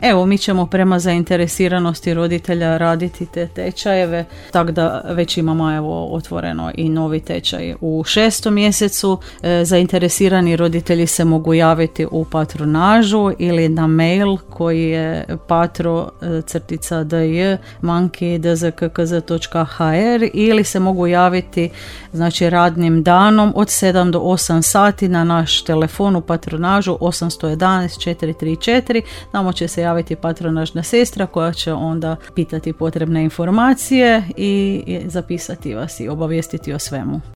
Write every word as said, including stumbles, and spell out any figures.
Evo, mi ćemo prema zainteresiranosti roditelja raditi te tečajeve, tako da već imamo evo otvoreno i novi tečaj u šestom mjesecu. E, zainteresirani roditelji se mogu javiti u patronažu ili na mail koji je patro crtica dj manki dzkkz točka hr ili se mogu javiti znači radnim danom od sedam do osam sati na naš telefon u patronažu osam jedan jedan četiri tri četiri. Tamo će se javiti patronažna sestra koja će onda pitati potrebne informacije i zapisati vas i obavijestiti o svemu.